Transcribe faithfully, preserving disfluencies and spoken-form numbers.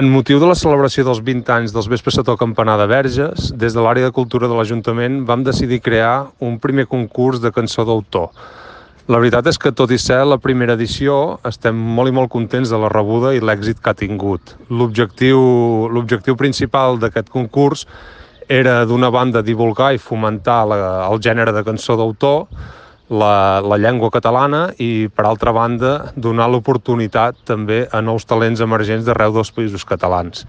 En motiu de la celebració dels vint anys dels Vespres sota el Campanar de Verges, des de l'àrea de cultura de l'Ajuntament vam decidir crear un primer concurs de cançó d'autor. La veritat és que, tot i ser la primera edició, estem molt i molt contents de la rebuda i l'èxit que ha tingut. L'objectiu l'objectiu principal d'aquest concurs era, d'una banda, divulgar i fomentar la, el gènere de cançó d'autor, la, la llengua catalana, i, per altra banda, donar l'oportunitat també a nous talents emergents d'arreu dels Països Catalans.